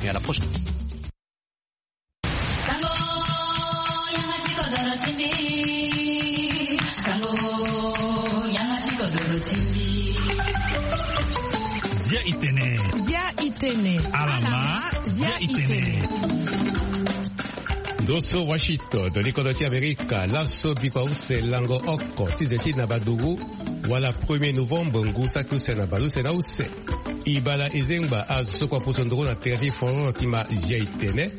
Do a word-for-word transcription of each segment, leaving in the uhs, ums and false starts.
Et à la prochaine. Zia itene. Zia itene. Alama. Zia itene. Ndo so Washington, ndo ni kodro ti Amerika, laso bikua use lango oko ti ze ti na baduru, wala premier novembre ngu saki use na baleuse na use. Ibala ezengba azo so kua poso nduru na tere ti foro ti ma Zia itene.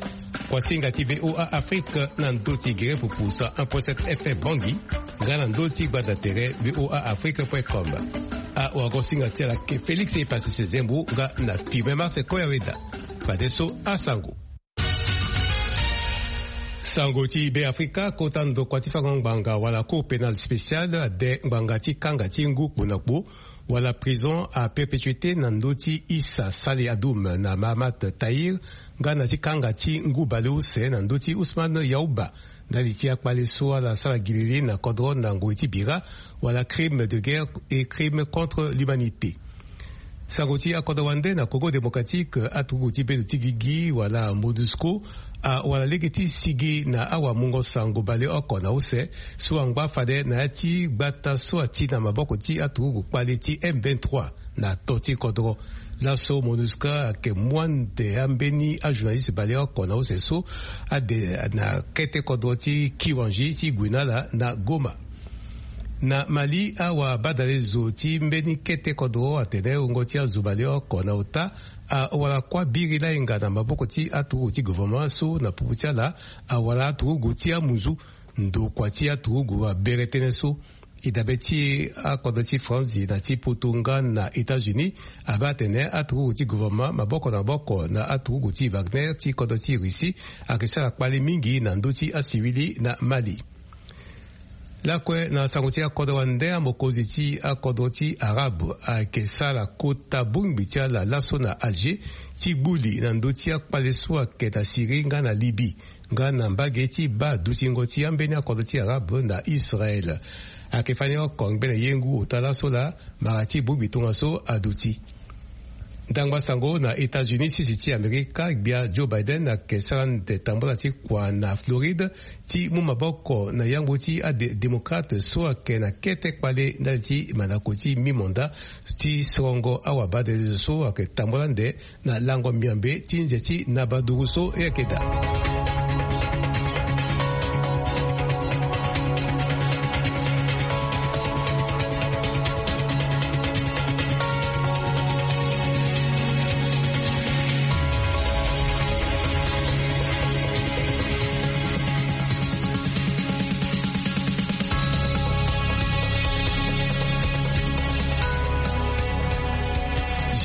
Kuasinga ti V O A Afrique na ndö ti gere pupu cent un point sept F M Bangui, nga na ndö ti gbanda tere V O A Afrique point com. Awagosinga ti ala ke Félix Epasese Zembo nga na Firmin Marse Koyaweda. Fadeso asango. Sango ti Be Afrika, kota ndokua ti fango ngbanga wala Cour pénale spéciale ade ngbanga ti kanga ti ngu kpo na kpo wala prison à perpétuité na ndö ti Issa Salih Adoum na Mahamat Tahir, nga na ti kanga ti ngu baleuse na ndö ti Ousmane Yaouba, ndali ti akpale so ala sara gilili na kodro na ngoi ti bira, wala crime de guerre et crime contre l'humanité. Sango ti akodro wande na Congo démocratique, aturugu ti bendo ti gigi wala MONUSCO awara lege ti sigi na awamungo sango baleoko na use so angba fade na ya ti gbata so ati na maboko ti aturugu kpale ti M vingt-trois na to ti kodro. Laso MONUSCO ayeke mu ande ambeni ajournaliste baleoko na use so ade na kete kodro ti Kiwanji ti gue na ala na Goma. Na Mali, awabadale zo ti mbeni kete kodro atene wungo ti azo baleoko na ota awara kuâ biri lainga na maboko ti aturugu ti gouvernement so na popo ti ala awara aturugu ti amuzu. Ndokua ti aturugu abere tënë so. E dabe ti akodro ti Franzi na ti Poto nga na États-Unis abaa atene aturugu ti gouvernement maboko na maboko na aturugu ti Wagner ti kodro ti Russie ayeke sara kpale mingi na ndö ti asivili na Mali. Lakue na sango ti akodro wande, amokonzi ti akodro ti Arabe ayeke sara kota bongbi ti ala laso na Alger ti gbu li na ndö ti akpale so ayeke na Syrie nga na Libye, nga na mbage ti baa dutingo ti ambeni akodro ti Arabe na Israël. Ayeke fani oko ngbene ye ngu ota laso laa mara ti bongbi tongaso aduti. Ndangba sango na États-Unis, sisi ti Amerika, gbia Joe Biden ayeke sara ande tambula ti kua na Floride ti mu maboko na yangbo ti ade-, démocrate so ayeke na kete kpale ndali ti mandako ti mi-mandat ti sorongo awabadale zo so ayeke tambula ande na lango miambe ti nze ti nabaduru so e yeke daa.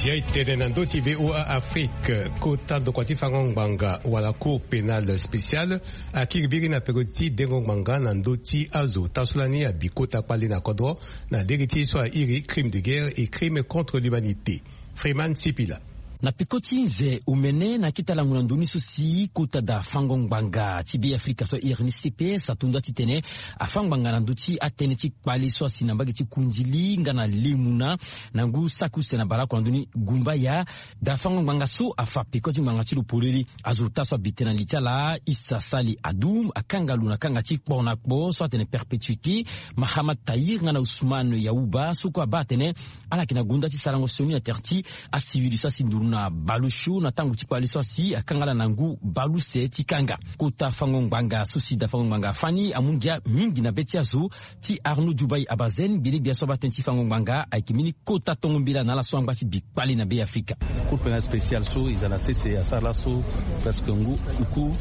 Zia e tene na ndö ti V O A Afrique, kota ndokua ti fango ngbanga wala Cour pénale spéciale akiri biri na peko ti dengo ngbanga na ndö ti azo ota so lani abi kota kpale na kodro na lege ti ye so airi crime de guerre et crime contre l'humanité. Freeman Sipila. Na peko ti nze omene na akete lango na ndoni so si kota da fango ngbanga ti Be Afrika so airi ni C P S ato nda titene afa ngbanga na ndö ti atënë ti kpale so asi na mbage ti kundili nga na lemuna na ngu saki use na baleoko na ndoni gumbaya. Da fango ngbanga so afa peko ti ngbanga ti lo polele. Azo ota so abi tënë na li ti ala, Issa Sali Adoum, akanga lo na kanga ti kpo na kpo so atene perpétuité. Mahamat Tahir nga na Ousmane Yaouba so kue abaa atene ala yeke na gonda ti sarango sioni na tere ti asivili so asi nduru na baleosio na tango ti kpale so asi akanga ala na ngu baleuse ti kanga. Kota fango ngbanga so si da fango ngbanga afa ni amu ngia mingi na be ti azo ti Arnaud Djoubaye Abazen, gbene gbia so abaa tënë ti fango ngbanga ayeke mbeni kota tongo mbela na ala so angba ti bi kpale na Be Afrika. Cour pénale spéciale so e za na sese asara laso presque ngu uku,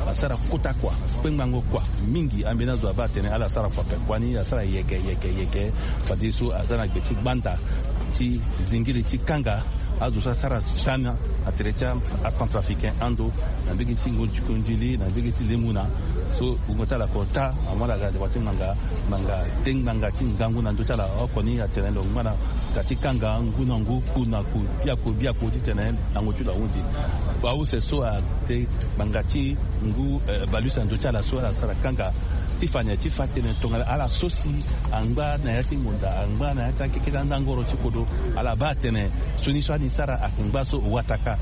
asara kota kua, kpengbango kua mingi. Ambeni azo abaa atene ala sara kua ape kua ni, asara yeke yeke yeke. Fadeso aza na gbe ti gbanda ti zingiri ti kanga azo so asara siana na tere ti acentrafricain ando, na mbege ti ngonzi kundili, na mbege ti lemuna. So wungo ti ala kota amu ala ga deba ti ngbanga, ngbanga te ngbanga ti ngangu na ndö ti ala oko ni atene lo ngba na ga ti kanga ngu na ngu, ku na ku, biaku biaku titene lango ti lo ahunzi. Baleuse so ate ngbanga ti ngu, eh, baleuse na ndö ti ala so ala sara kanga Ti fa na ya ti fa tënë tongana ala so si angba na ya ti ngonda, angba na ya ti akeketa ndangoro ti kodro, ala baa atene sioni so ani sara ayeke ngba so wataka.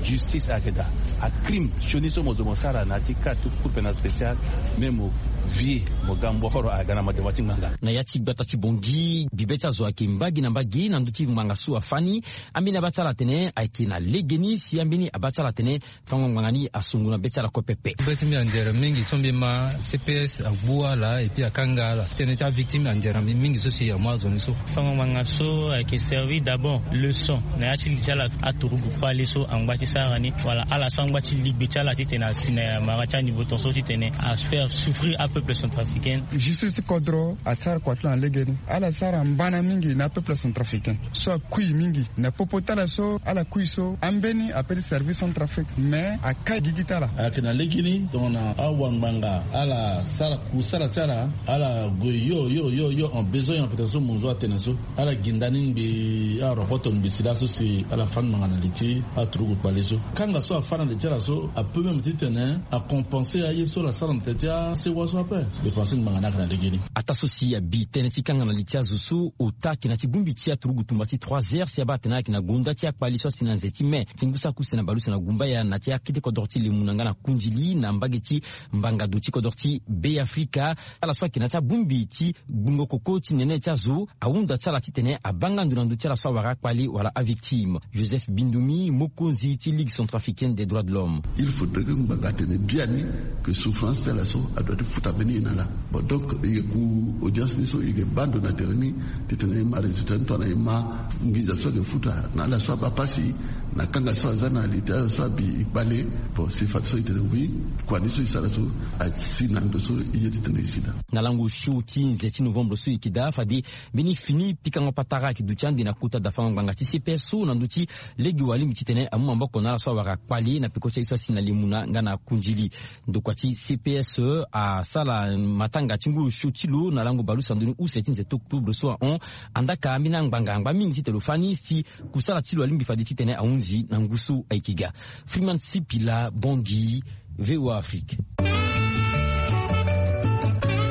Justice ayeke daa. Acrime sioni so mo zo mo sara na ya ti ka ti cour pénale spéciale, même mo vie mo ga mbohoro ayeke ga na madema ti ngbanga. Na ya ti gbata ti Bangui, bibe ti azo ayeke mbage na mbage na ndö ti ngbanga so afâ ni. Ambeni abaa ti ala atene ayeke na legeni si ambeni abaa ti ala atene fango ngbanga ni asungu na be ti ala kue pepe. Be ti mbi anzere mingi so mbi ma CPS agbu ala et puis akanga ala. Tënë ti avictime anzere mbi mingi so si amu azo ni so. Fango ngbanga so ayeke servir d'abord leçon na ya ti li ti ala, aturugu kpale so angba ti sara ni wala ala so angba ti ligbe ti ala titene asi na mara ti aniveau tongaso titene afaire souffrir apeuple centrafricain. Justice ti kodro asara kua ti lo na legeni. Ala sara mbana mingi na apeuple centrafricain so akui mingi na popo ti ala so ala kui so ambeni ape ti service Centrafrique, mais akai gigi ti ala. Ayeke na legeni tongana awangbanga ala sara kusala ti ala, ala gue yo yo yo yo en besoin ya pete so monzo atene so, ala gi ndani ngbii, arokoto ngbii si laso si ala fâ ngbanga na li ti aturugu kpale so. Kanga so afâ na li ti ala so apeut même titene acompenser aye so ala sara na tene ti asewa so ape. Mbi pense ngbanga ni ayeke na legeni. Ataa so si abi tënë ti kanga na li ti azo so ota ayeke na ti bongbi ti aturugu tumba ti trois heures si abaa atene ayeke na gonda ti akpali so asi na nze ti mai ti ngu so akuse na baleuse na gumbaya na ti akete kodro ti lemu na nga na kundili na mbage ti mbangado ti kodro ti Beafrika. Ala so ayeke na ti abongbi ti gbungo koko ti nene ti azo ahunda ti ala titene abaa nga ndo na ndö ti ala so awara akpali wala avictime. Joseph Bindumi, mokonzi ti Ligue centrafricaine des droits de l'homme. Il faudrait que ngbanga atene biani que souffrance ti ala so adoit ti futa mbeni ye na ala. Bon, donc e yeke ku audience ni so e yeke baa ndo na tere ni titene e ma résultat ni tongana e ma nginza so ayeke futa na ala so abaa pasi na kanga so aza na li ti ala so abi e kpale. Bon, si fadeso e tene oui, kua ni so e sara so asi na ndo so e ye titene e si daa. Na lango show ti nze ti novembre so e yeke daa, fade mbeni fini pikango patara ayeke duti ande na kota dafango ngbanga ti CPS so na ndö ti lege wala lingbi titene amu maboko na ala so awara kpale na peko ti aye so asi na lemuna nga na kundili. Ndokua ti CPS asara matanga ti ngu osio ti lo na lango baleuse na ndoni use ti nze ti octobre so ahon. Andaka ambeni angbanga angba mingi titene lo fâ ni si kusala ti lo alingbi fade titene ahunzi na ngu so ayeke ga. Freeman Sipila, Bangui, VOA Afrique.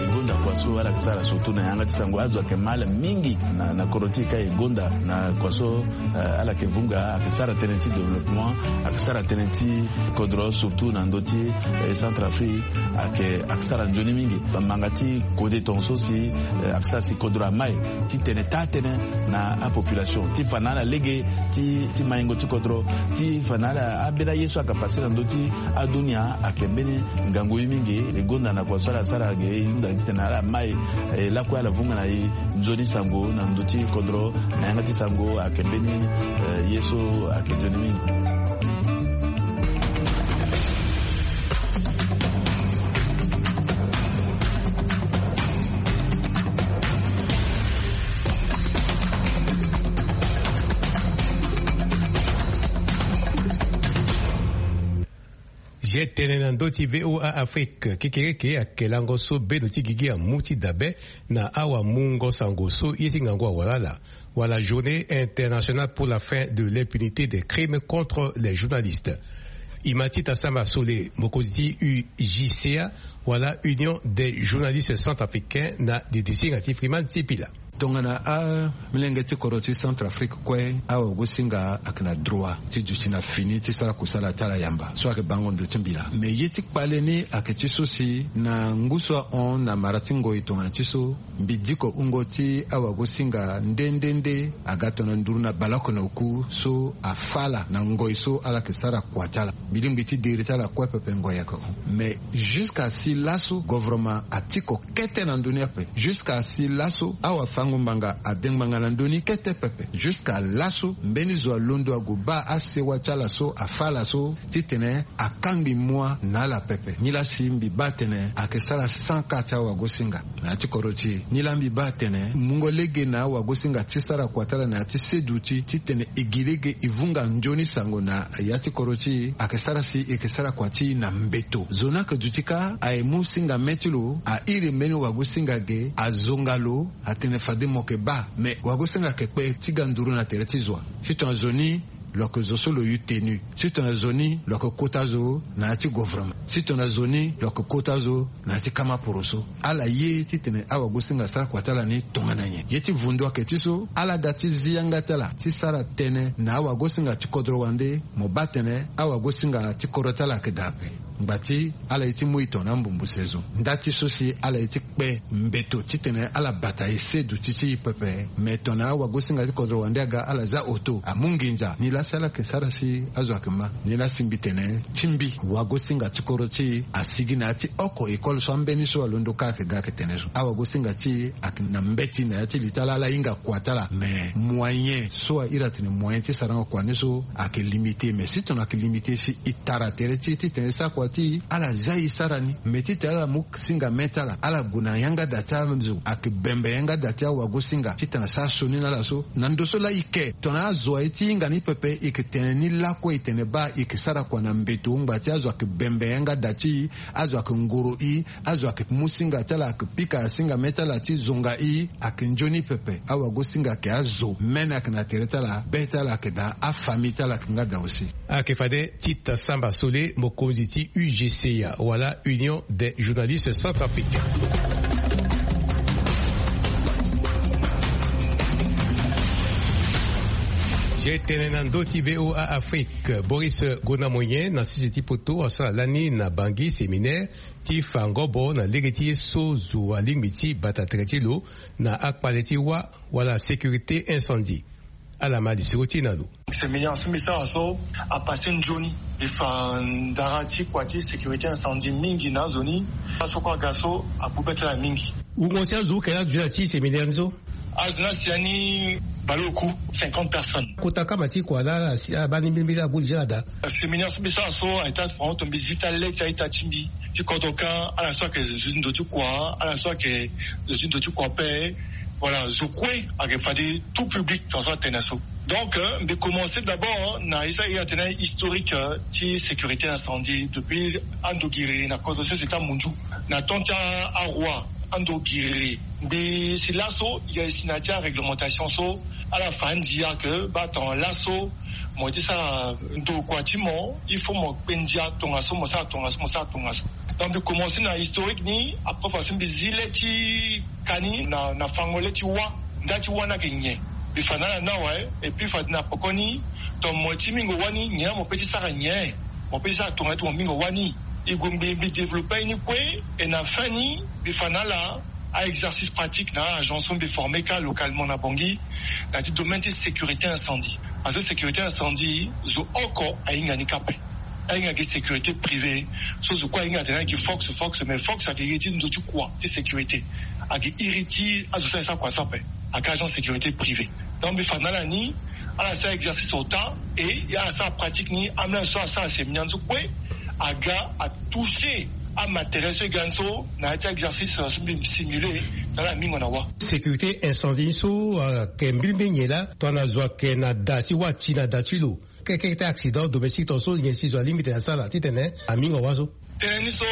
E gonda kua so ala yeke sara surtout na yanga ti sango, azo ayeke mal mingi na, na kodro ti e ka e gonda na kua so, eh, ala yeke vunga, ayeke sara tënë ti développement, ayeke sara tënë ti kodro surtout na ndö ti, eh, Centrafrique, ayeke, ayeke sara nzoni mingi. Bamanga ti kode tongaso si, eh, ayeke sara si kodro amai titene taa tënë na apopulation ti fa na ala lege ti, ti maingo ti kodro, ti fa na ala ambeni aye so ayeke pase na ndö ti adunia ayeke mbeni ngangu ye mingi. E gonda na kua so ala sara ge e hunda titene ala mai, eh, lakue ala vunga na e nzoni sango na ndö ti kodro na yanga ti sango ayeke mbeni, eh, ye so ayeke nzoni mingi. Ye tene na ndö ti VOA Afrique, kekereke ayeke lango so bendo ti gigi amu ti dabe na awamungo sango so ye ti ngangu awara ala, wala Journée internationale pour la fin de l'impunité des crimes contre les journalistes. E ma ti Tassama Sole, mokonzi ti U J C A, wala Union des journalistes centrafricains, na didisinga ti Freeman Sipila. Tongana amilenge ti kodro ti Centrafrique kue, awagosinga ayeke na droit ti duti na fini ti sara kusala ti ala yamba so ayeke bango ndo ti mbila. Me ye ti kpale ni ayeke ti so si na ngu so ahon na mara ti ngoi tongana ti so, mbi diko wungo ti awagosinga nde nde nde aga tongana nduru na baleoko na oku so afâ ala na ngoi so ala yeke sara kua ti ala. Mbi lingbi ti diri ti ala kue pepe ngoi ayeke hon. Mais jusqu'à si laso, gouvernement atiko kete na ndö ni ape. Jusqu'à si laso, awafango-ngbanga ade ngbanga na ndö ni kete pepe. Jusqu'à laso, mbeni zo alondo ague baa asewa ti ala so afâ ala so titene akangbi mua na ala pepe. Nilaa si mbi baa atene ayeke sara sans cas ti awagosinga na ya ti kodro ti e. Nilaa mbi baa atene mungo lege na awagosinga ti sara kua ti ala na ya ti seduti titene e gi lege e vunga nzoni sango na ya ti kodro ti e, ayeke sara si e yeke sara kua ti e na mbeto. Zo ni ayeke duti kâ, aye mu singa mê ti lo, a iri mbeni wagosinga ge, azonga lo, atene fade mo yeke baa. Me wagosinga ayeke kpe ti ga nduru na tere ti zo wa? Titene zo ni Lo yeke zo so lo yu tenu. Si tongana zo ni lo yeke kota zo na ya ti governement. Si tongana zo ni lo yeke kota zo na ya ti kama poroso. Ala ye titene awagosinga asara kua ti ala ni tongana nyen? Ye ti vundu ayeke ti so ala da ti zi yanga ti ala ti sara tënë na awagosinga ti kodro wande. Mo baa tene awagosinga ti kodro ti ala ayeke daa ape. Ngba ti ala ye ti mu e tongana ambumbu sezo nda ti so si ala ye ti kpe mbeto titene ala bata e seduti ti e pepe. Me tongana awagosinga ti kodro wande aga ala za oto amu nginza ni laa si ala yeke sara si azo ayeke ma. Ni laa asingbi tene ti mbi wagosinga ti kodro ti e asigi na ya ti oko école so ambeni so alondo kâ ayeke ga ayeke tene so awagosinga ti e ayeke na mbeti na ya ti li ti ala ala hinga kua ti ala. Me moyen so a iri atene moyen ti sarango kua ni so ayeke limité. Me si tongana ayeke limité si e tara tere ti e titene e sara kua ti e ala za e sara ni. Me titene ala mu singa me ti ala ala gue na yanga da ti azo ayeke bembe yanga da ti awagosinga titene asara sioni na ala so. Na ndo so laa e ke tongana azo aye ti hinga ni pepe e yeke tene ni lakue e tene baa e yeke sara kua na mbeto ngba ti azo ayeke bembe yanga da ti e. Azo ayeke ngoro e. Azo ayeke mu singa ti ala ayeke pika singa me ti ala ti zonga e. Ayeke nzoni pepe awagosinga ayeke azo mene ayeke na tere ti ala be ti ala ayeke daa afamille ti ala ayeke nga daa aussi. Ayeke fade tita samba sole mokonzi ti U G C A wala Union des journalistes centrafricains. Ye tene na ndö ti V O A Afrique, Boris Gonamoyen na sese ti poto asara lani na Bangui séminaire ti fa ngobo na lege ti ye so zo alingbi ti bata tere ti lo na akpale ti wâ wala sécurité incendie. Ala ma lisoro ti e na lo. Séminaire so mbi sara so apasse nzoni. Mbi fa ndara ti kua ti sécurité incendie mingi na azo ni. Aso kue aga so agbu be ti ala mingi. Wungo ti azo oke laa aduti na ti séminaire ni so? Azo ni asi ya ni baleoku cinquante personnes. Kota kama ti kua laa ala si abaa ni mbilimbili agbu li ti ala daa. Séminaire so mbi sara so ayeke ti afango to mbi zi ti ale ti a-ita ti mbi ti kodro kâ. Ala so ayeke zo ti ndo ti kua, ala so ayeke zo ti ndo ti kua ape. Voilà, zo kue ayeke fade tout public tongaso atene so. Donc euh, mbi commencer d'abord na ye so a iri atene historique euh, ti sécurité incendie depuis ando giriri na kodro sese ti amunzu na temps ti aroi. Ando giriri mbi si laso e si na ya ti aréglementation so ala fa andia ke baa tongana laso mo ye ti sara ndo kua ti mo il faut mo kpe ndia tongaso mo sara tongaso mo sara tongaso. Donc mbi commencer na historique ni après fa so mbi zi le ti ka ni na na fango le ti wâ. Nda ti wâ ni ayeke nyen? Mbi fa na ala ni awe. Et puis fade na poko ni tongana mo ye ti mingo wâ ni nyen laa mo pe ti sara nyen? Mo pe ti sara tongana ti mo mingo wâ ni. E gue mbi mbi développe aye ni kue. Et na fin ni mbi fa na ala a-exercice pratique na a-agent so mbi former kâ localement na Bangui na ya ti domaine ti sécurité incendie. Azo sécurité incendie zo oko ahinga ni kâ ape. Ahinga gi sécurité privée. So zo kue ahinga atene ayeke fox fox mais fox ayeke iri ti ndo ti kua ti sécurité. Ayeke iri ti azo so ayeke sara kua so ape. Ayeke agent sécurité privée. Donc mbi fa na ala ni ala sara exercice ota. Et ala sara pratique ni amolenge so asara séminaire ni so kue aga atoucher amatériel so e ga ni so na ya ti exercice so mbi simule na ala mingo na wâ. Sécurité incendie ni so ayeke mbilimbili nyen laa tongana zo ayeke na da ti wâ ti na da ti lo? Keke ti accident domestique tongaso nyen si zo alingbi tene asara titene amingo wâ so? Tënë ni so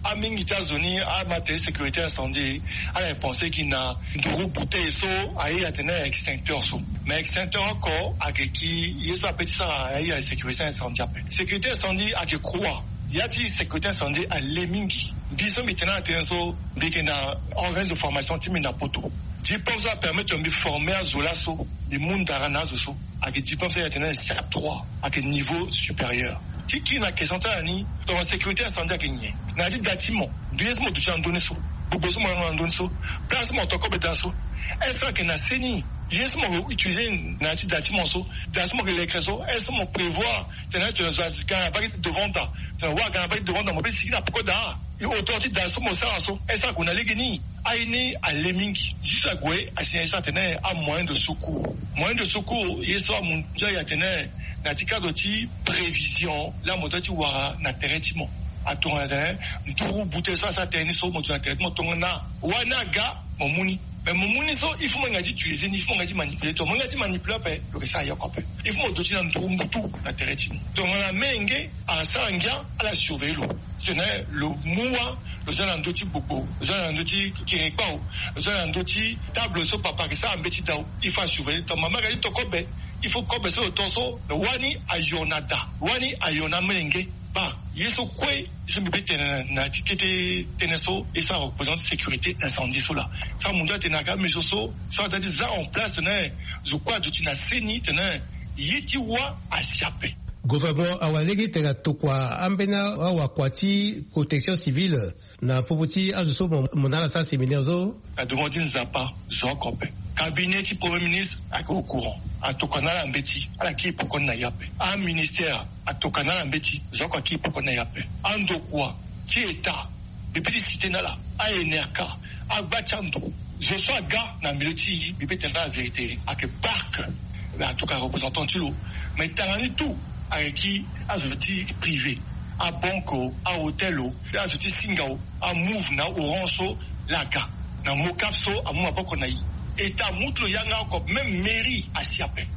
amingi ti azo ni ama tene sécurité incendie ala ye pense gi na nduru bouteille so aye atene extincteur so. Mais extincteur oko ayeke gi ye so ape ti sara aye sécurité incendie ape. Sécurité incendie ayeke croix. Ya ti sécurité incendie ale mingi. Mbi so mbi tene ala tënë so mbi yeke na organisme de formation ti mbi na poto. Diplôme so apermettre mbi former azo laso mbi mu ndara na azo so. Ayeke diplôme so aye atene siap trois. Ayeke niveau supérieur. Ti kiri na question ti ala ni tongana sécurité incendie ayeke nyen? Na ya ti da ti mo ndo ye so mo duti na ndö ni so, gbogbo so mo yanga na ndö ni so, place so mo to kobe daa so, est-ce que ayeke na seni? Ye so mo utiliser na ya ti da ti mo so, da so mo yeke lekere so, est-ce que mo prévoir tena tena zo aga na baki ti devant da, tena wa aga na baki ti devant da mo pe sigi na peko daa? E hauteur ti da so mo sara so est-ce que ague na lege ni? Aye ni ale mingi. Juste ague asi na ye so atene amoyen de secours. Moyen de secours ye so amu ndia ye atene na ti cadre ti prévision la mo doit ti wara na tere ti mo. Atongana tene nduru bute so asara tere ni so mo duti na tere ti mo tongana wani aga mo mu ni. Mais mo mu ni so il faut mo hinga ti utiliser ni, il faut mo hinga ti manipuler to mo hinga ti manipuler ape lo yeke sara yoko ape. Il faut mo duti na nduru mbutu na tere ti ni tongana menge asara ngia ala surveiller lo. Titene lo mu wâ lo za na ndö ti gbogbo, lo za na ndö ti kerekpao, lo za na ndö ti table so papa ayeke sara mbeti dao. Il faut asurveiller ton mama ayeke ti to kobe. Il faut kobe so lo to so lo wani ayo na da, lo wani ayo na amolenge. Ba ye so kue ye so mbi pe tene na ya ti kete tënë so ye so areprésente sécurité incendie so laa. So amundu atene ayeke amesure so so aza ti za en place tene zo kue aduti na seni tene ye ti wâ asi ape. Gouvernement awara lege tene atokua ambeni awakua ti protection civile na popo ti azo so mo na ala sara séminaire so. Na demande ti Nzapa zo oko ape. Cabinet ti premier ministre ayeke au courant, atokua na ala mbeti, ala kiri poko ni na ye ape. Aministère atokua na ala mbeti, zo oko akiri poko ni na ye ape. Andokua ti état, mbi pe ti cité na ala, a N R K, agba ti ando, zo so aga na milieu ti mbi pe tene na ala vérité ayeke parc. Mais en tout cas représentant ti lo. Mais tanga ni tout ayeke ti azo ti privé, abanque o, ahôtel o, azo ti singa o, amove na orange so, laga na mocap so amu maboko na e. État amu ti lo yanga oko, même mairie asi ape.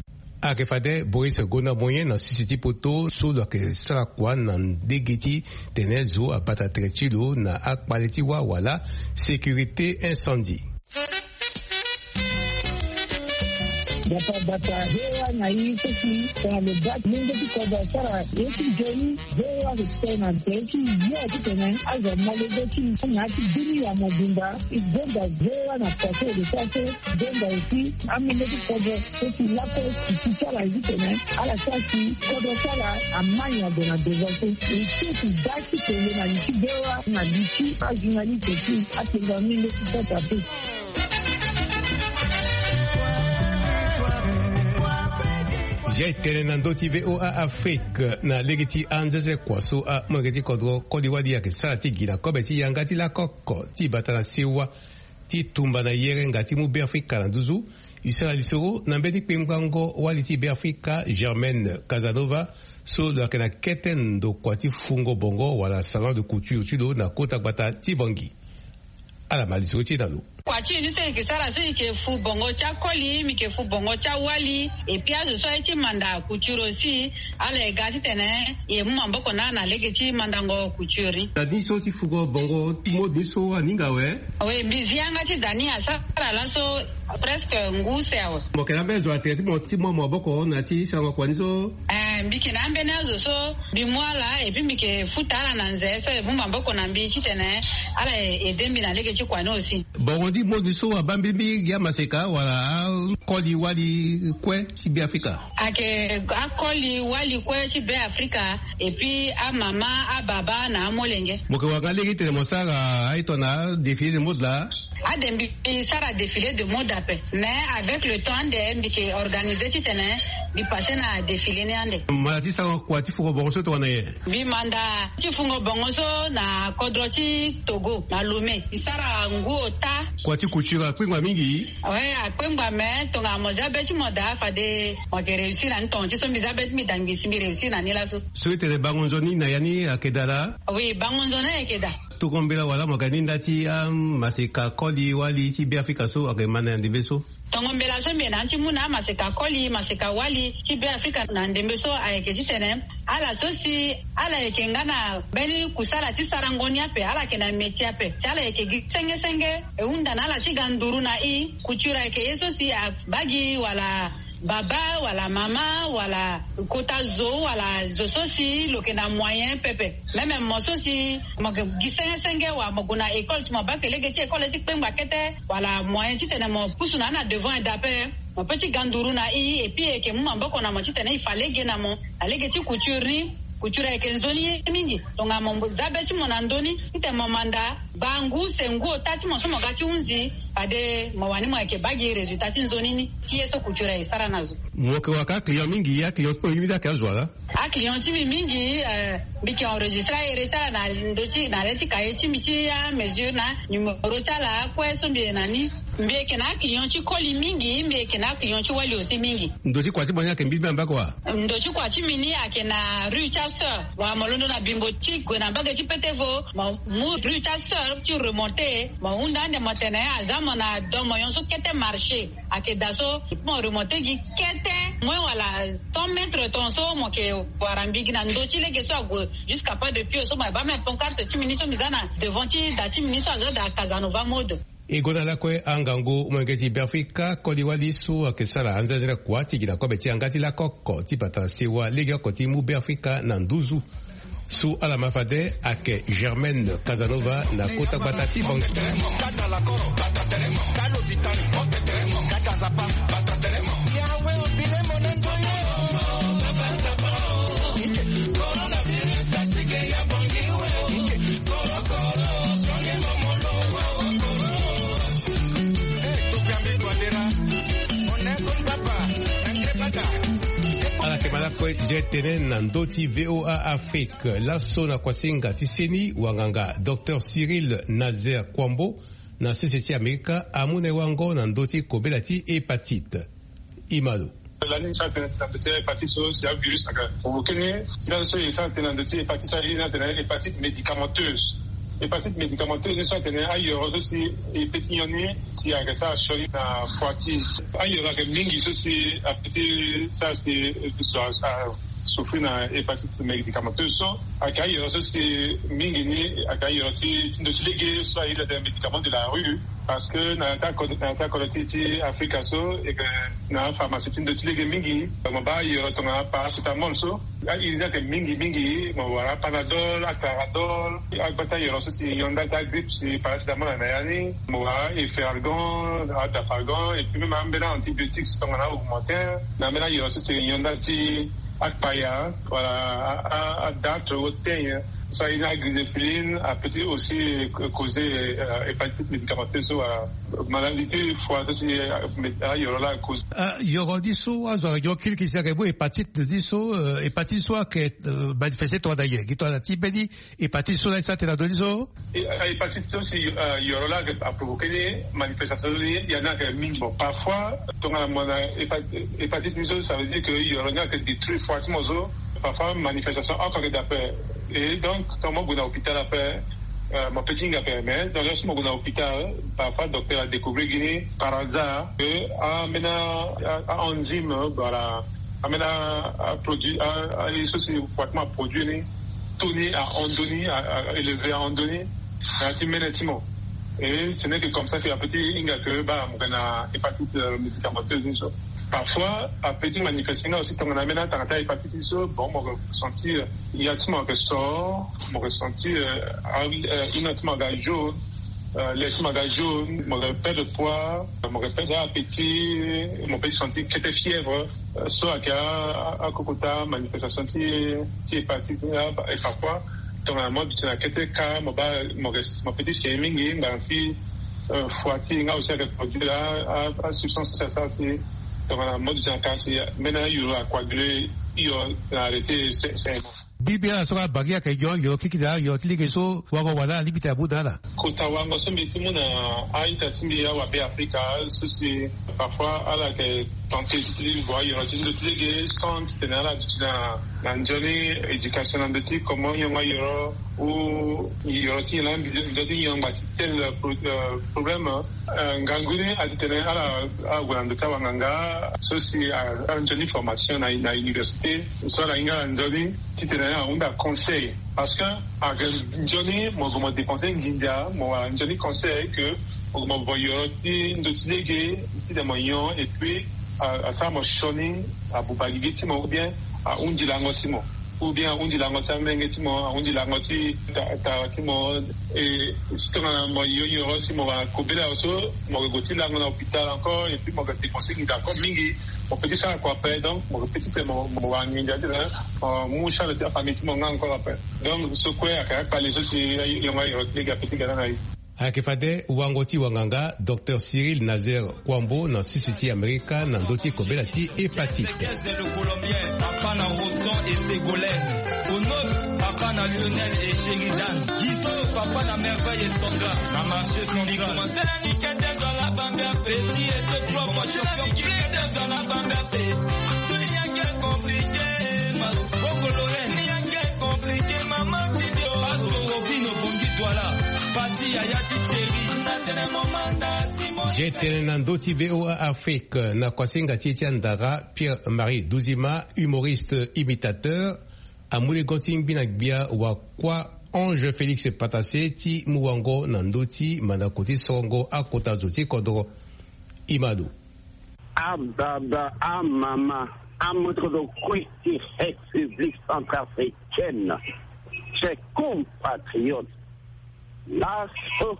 Ayeke fade Boris Gona Moyen na sisi ti poto so lo yeke sara kua na ndege ti tene zo abata tere ti lo na akpale ti wâ wala sécurité incendie. Bata bata V O A na e so si tongana lo baa ti lenge ti kodro asara ye ti nzoni. V O A ayeke tene na tere ti yo titene azo amolenge ti na ya ti bini ya mobimba. E gonda V O A na kua so e lo sara so, e gonda aussi amolenge ti kodro so si lakue e ti ti ala ye titene ala sara si kodro ti ala amai ague na devant so. E ti e ti baa ti tene na li ti V O A na li ti ajournaliste ti atenga amolenge ti sasa pe. Zia e tene na ndö ti V O A Afrique na lege ti anzeze kua so amolenge ti kodro koli wali ayeke sara ti gi na kobe ti yanga ti lakoko ti bata na sewa ti tumba na yerenga ti mu Beafrika na nduzu. E sara lisoro na mbeni kpengbango wali ti Beafrika Germaine Casanova so lo yeke na kete ndokua ti fungo bongo wala salon de couture ti lo na kota gbata ti Bangui. Ala ma lisoro ti e na lo. Kua ti e ni so e yeke sara so e yeke fu bongo ti akoli, mbi yeke fu bongo ti awali, et puis azo so aye ti manda couture aussi. Ala e ga titene e mu maboko na ala na lege ti mandango couture ni. Na ni so ti fugo bongo ti mode ni so aninga awe. Oui, mbi zi yanga ti da ni asara laso presque ngu use awe. Mo yeke na ambeni zo na tere ti mo ti mu maboko na ya ti sarango kua ni so? Eh, mbi yeke na ambeni azo so mbi mu ala et puis mbi yeke futa ala na nze so e mu maboko na mbi titene ala e aide mbi na lege ti kua ni aussi. Bongo ni mode so abaa mbi gi amaseka wala akoli wali kue ti Beafrika? Ayeke akoli wali kue ti Beafrika, et puis amama, ababa na amolenge. Mo yeke wara nga lege titene mo sara aye tongana défilé de mode laa? Ade mbi sara défilé de mode ape, mais avec le temps ande mbi yeke organisé titene mbi passé na défilé ni ande. Mo na ti sara kua ti fungo bongo so tongana nyen? Mbi manda ti fungo bongo so na kodro ti Togo na Lomé. Mbi sara ngu ota. Kua ti couture akpengba mingi? Oui, akpengba, mais tongana mo za be ti mo daa fade mo yeke réussir na ni. Tonga ti so mbi za be ti mbi daa ngbisi, mbi réussir na ni laso. So e tene bango nzoni na ya ni ayeke daa laa? Oui, bango nzoni ayeke daa. Tongo mbela wala mo yeke na ni nda ti amaseka koli wali ti Beafrika so ayeke ma na ya ndembe so? Tongo mbela so mbi yeke na ni ti mu na amaseka koli, maseka wali ti Beafrika na ndembe so ayeke titene ala so si ala yeke nga na mbeni kusala ti sarango ni ape, ala yeke na métier ape, si ala yeke gi senge senge e hunda na ala ti ga nduru na e. Couture ayeke ye so si abaa gi wala baba wala mama wala kota zo wala zo so si lo yeke na moyen pepe. Même mo so si mo yeke gi senge senge wala mo gue na école, si mo baa ke lege ti école ti kpengba kete wala moyen titene mo pusu na ni na devant eda ape, mo peut ti ga nduru na e, et puis e yeke mu maboko na mo titene e fa lege na mo na lege ti couture ni. Couture ayeke nzoni ye mingi. Tongana mo za be ti mo na ndö ni titene mo manda, gba ngu use ngu ota ti mo so mo ga ti hunzi, fade mo wani mo yeke baa gi résultat ti nzoni ni ti ye so couture aye sara na zo. Mo yeke wara ka aclient mingi, aclient ti mo mingi ayeke azo wala? Aclient ti mbi mingi, eh, mbi yeke enregistré ahere ti ala na ndö ti, na le ti kaye ti mbi ti amesure na numéro ti ala kue so mbi yeke na ni. Mbi yeke na aclient ti koli mingi, mbi yeke na aclient ti wali aussi mingi. Ndo ti kua ti mo ni ayeke mbirimbiri na mbage wa? Ndo ti kua ti mbi ni ayeke na rue ti asœur. Wa mo londo na bimbo ti gue na mbage ti petevo, mo mu rue ti asœur ti remonté, mo hunda ande mo tene aza mo na do mo nyon so kete marché. Ayeke daa so mo remonté gi kete Moins wala cent mètres ton so mo yeke wara mbi gi na ndö ti lege so ague jusqu'à pas de pied so mo yeke baa même pancarte ti mbi ni so mbi za na devant ti da ti mbi ni so aza da Casanova mode. E gonda lakue angangu molenge ti Beafrika koli wali so ayeke sara anzenze na kua ti gi na kobe ti yanga ti lako oko ti bata sewa legeoko ti mu Beafrika na nduzu. So ala ma fade ayeke Germaine Casanova na kota gbata ti Bangui. Ala yeke ma lakue. Zia tene na ndö ti VOA Afrique, laso na kuasinga ti seni wanganga Docteur Cyril Nazer Kouambo na sese ti Amerika amu na e wango na ndö ti kobela ti hépatite. Imalo. Lani so atene na ndö ti hépatite so si avirus ayeke provoqué ni. Ti laso so e sara tene na ndö ti hépatite so aye ni atene hépatite médicamenteuse. Hépatite médicamenteuse ni so atene ayoro so si e pe ti nyon ni si ayeke sara sioni na foi ti e. Ayoro ayeke mingi so si ape ti sara si zo a souffrir na hépatite médicamenteuse so ayeke ayoro so si mingi ni ayeke ayoro ti ti ndö ti lege so aye ti atene médicament de la rue. Parce que na ya ti akode na ya ti akode ti ti Afrika so e yeke na apharmacie ti ndö ti lege mingi. Mo baa ayoro tongana paracétamol so. A-iri ni ayeke mingi mingi, mo wara apanadol, aclaradol, agbata ayoro so si nyon ndali ti agrippe si paracétamol ayeke na ya ni. Mo wara efferalgan, adafalgan, et puis même ambeni antibiotiques tongana augmentin. Na ambeni ayoro so si nyon ndali ti akpaya wala a- a- adartre ou teigne. So aye ni aglycéphylline apeut ti aussi causer hépatite médicamenteuse so wala maladie ti foi so si ayoro laa cause. Yoro ni so azo ayeke nyon kirikiri si ayeke mu hépatite ni so. Hépatite ni so ayeke manifeste tongana nyen gi tongana ti mbeni hépatite so laa e sara tene na ndö ni so? Hépatite so si yoro laa ayeke aprovoqué ni manifestation ni ya ni ayeke mingi. Bon, parfois tongana mo na hépatite ni so ça veut dire que yoro ni ayeke détruire foi ti mo so. Parfois manifestation oko ayeke daa ape. Et donc tongana mo gue na hôpital ape, mo pe ti hinga ape mais tongana so mo gue na hôpital, parfois docteur adécouvrir gi ni par hasard que ambeni a- a- a enzyme wala ambeni a- a- produit a- a- ye so si foi ti mo aproduire ni, taux ni ahon ndö ni, a- a- élevé ahon ndö ni na ya ti mene ti mo. Et ce n'est que comme ça que apeut ti hinga que baa mo yeke na hépatite médicamenteuse ni so. Parfois apeut ti manifester nga aussi tongana ambeni atanga ti ahépatite ni so. Bon, mo yeke sentir ya ti mo ayeke sore, mo yeke sentir hino ti mo aga jaune, le ti mo aga jaune, mo yeke perdre poids, mo yeke perdre appétit, mo peut ti sentir kete fièvre. So ayeke akokota manifestation ti ti hépatite ni. Et parfois tongana mo duti na kete cas mo baa mo yeke mo peut ti seni mingi ngbanga ti foi ti e nga aussi ayeke produire a- a- asubstance so si asara si tongana mo duti na cas si mbeni ayuru acoaguler hio na arrêter saignement. Mbi bia na so nga bangi ayeke nyon yoro kirikiri na ayoro ti lege so wango wala alingbi ti amu na ala? Kota wango so mbi ti mu na a-ita ti mbi awabe afrika so si parfois ala yeke tenter ti vo ayoro ti ndö ti lege sans titene ala duti na na nzoni éducation na ndö ti comment yongo ayoro ou yoro ti nyen laa mbi nzoni ti yongo ngba ti tel problème. Ngangu ni atitene ala ala gue na ndö ti awanganga so si ala nzoni formation na na université so ala hinga ala nzoni titene ahunda conseil. Parce que ayeke nzoni mo gue mo dépenser nginza mo wara nzoni conseil que mo gue mo vo yoro ti ndö ti lege titene mo nyon et puis asara mo sioni abuba gigi ti mo ou bien ahundi lango ti mo ou bien ahundi lango ti amenge ti mo ahundi lango ti tara ti mo. E si tongana mo yo yoro si mo wara kobela so mo yeke gue ti lango na hôpital encore et puis mo yeke dépenser nginza encore mingi. Mo peut ti sara kua ape donc mo yeke peut ti pe mo wara nginza ti mo mu charge ti afamille ti mo nga encore ape. Donc so kue ayeke akpale so si yongo ayoro ti lege ape ti ga na na ye. Ayeke fade wango ti wanganga docteur Cyril Nazaire Kouambo na sisi ti Amerika na ndö ti kobela ti hépatite. Papa na Roston et Ségolène. Onos, papa na Lionel et Sheridan. Gizo, papa na Merveille et Sandra. Na marché central. Compliqué, ma. Compliqué, maman, ti dio. Paso, Robino, Bongi, toi là. G tene na ndö ti VOA Afrique na kuasinga ti e ti andara, Pierre Marie Duzima, humoriste imitateur, amu legon ti ngbi na gbia wakua Ange Félix Patassé ti mu wango na ndö ti mandako ti sorongo akota zo ti kodro. Imado. Ababa, amama, amotrodo kue ti République centrafricaine, chers compatriotes, laso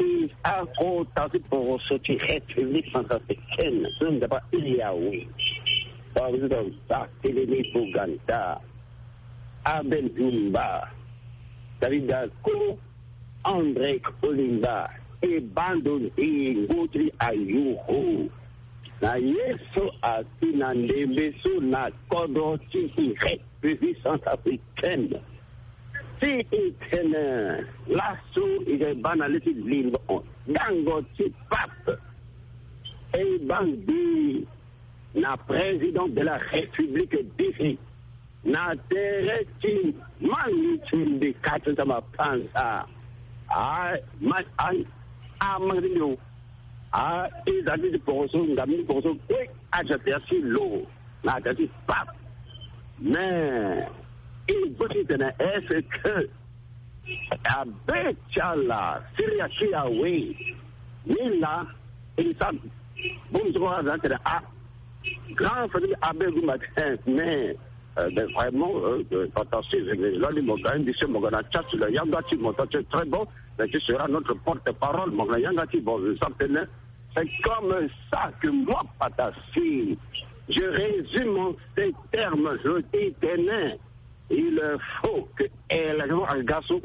e akota ti poroso ti République centrafricaine so nzapa e awe. Président Barthélemy Boganda, Abel Zumba, David Dako, André Kolimba, e bando ndengo ti ayoro. Na ye so asi na ndembe so na kodro ti République centrafricaine. Si e tene laso e ga e baa na le ti limbo dango ti pape. E baa ngbi na président de la République bizi na tere ti mangi ti mbi kati ti mapanza. A, ma, a, a mangi ti mbi o. A, e za ti ti poroso, nga mbi ti poroso kue, aza tere ti lo na tere ti pape. Mais e zo ti tene est-ce que abe ti ala siri ya ti awe? Ni la e sa bongbi so kue aza tene a grand famille abe gumba te. Mais euh, ben, vraiment euh, euh, fantastique. Lali mo ga indi se mo ga na chat la yanga ti mo ta, c'est très bon. Mais tu seras notre porte-parole, mo ga na yanga ti bon, ça tene. C'est comme ça que moi, Patassé, je résume en ces termes, je dis, tenez, il faut que élection agaso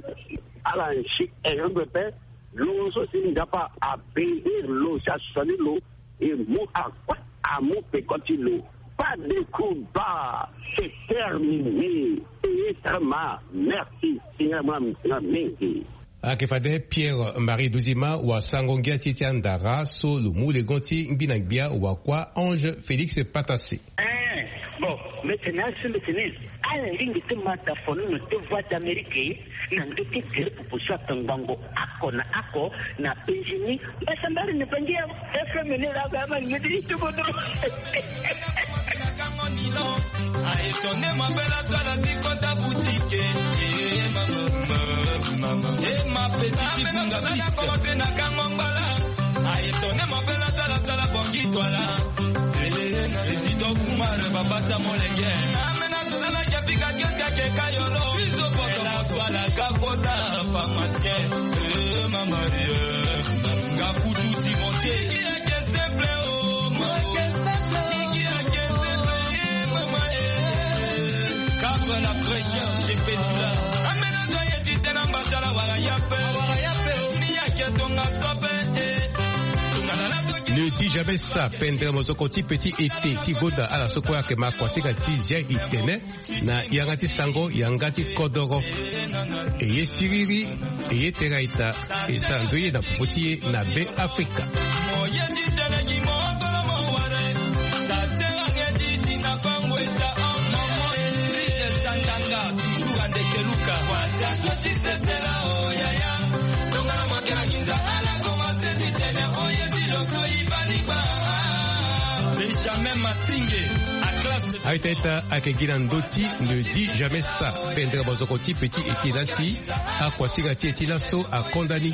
ala nsi élection pepe. Lo so si nzapa abénir lo, si asani lo, e mu akue, amu peko ti lo. Pas de combat, c'est terminé. Ministre ma, merci. Singa ma, singa mingi. Ayeke fade Pierre Marie Duzima wasango ngia ti e ti andara so lo mu legon ti ngbi na gbia wakua Ange Félix Patassé. Eh, bon, mbi tene asi mbi tene ala lingbi ti ma dafo nono ti Voix d'Amérique na ndö ti gere popo so atongbango oko na oko na Eugénie. Mbasambari ni bangi ya F M ni la ga ma ngeti ti tubo dro. A étonné ma belle, tala ti kota boutique. Eh, mama, mama, mama. Eh, ma petite, amena finga bana piste. Commencé na kango ngbala. A étonné ma belle, tala, tala bongi toi là. Eh, na président Kumar, papa sa molenge. Amena zona ya pika kesi ya keka yolo. Biso poto. Ela swala kakota pharmacien. Eh, mama, eh, nga kutu ti monte. Ne dis jamais ça, pendre mozoko ti petit été ti gonda ala so kue ayeke ma kuasinga ti zia e tene. Na yanga ti sango, yanga ti kodoro. E ye siriri, e ye tera ita, e sara ndoye na popo ti e na Be Afrika. Benjamin Massinge, a classe. Aita ita ayeke gi na ndö ti ne dis jamais ça, pendre mozoko ti petit été la si akuasinga ti e ti laso akonda ni.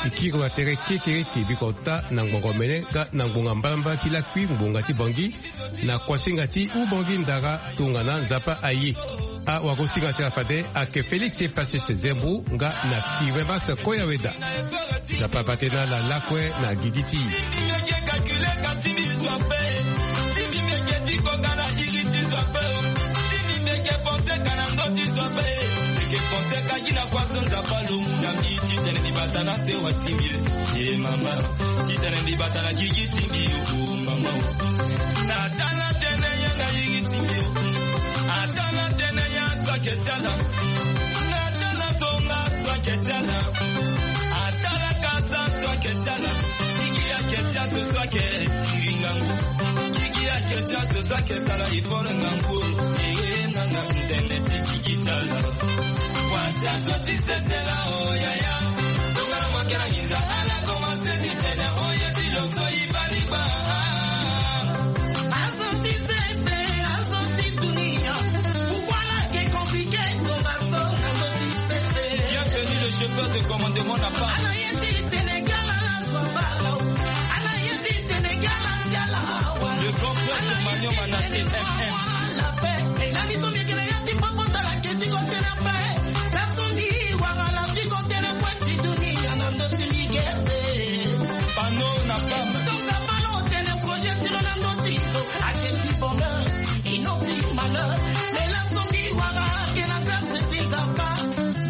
E kiri wa tere kekereke biko ota na ngbongo mene nga na ngbonga mbalambala ti lakui ngbonga ti Bangui. Na kuasinga ti ubongi ndara tongana Nzapa aye. Awagosinga ti ala fade ayeke Félix Epasis Zembo nga na Kiremas Koyaweda. Nzapa bate na ala lakue na gigi ti e. Mama, ti tene mbi bata na gigi ti mbi o, mama o. Na tala tene yanga yigi ti mbi o. Atala tene ya so ake ti ala. Na tala so nga so ake ti ala. Atala ka sa so ake ti ala. Gigi ake ti aso so ake tiri ngangu. Gigi ake ti aso so ake sara effort ngangu o. Ee, nanga ntene ti gigi ti ala. Kua ti aso ti sese la o yaya. Bienvenue, le chauffeur de commandement n'a pas. Le grand prêtre Emmanuel Manassé, M M.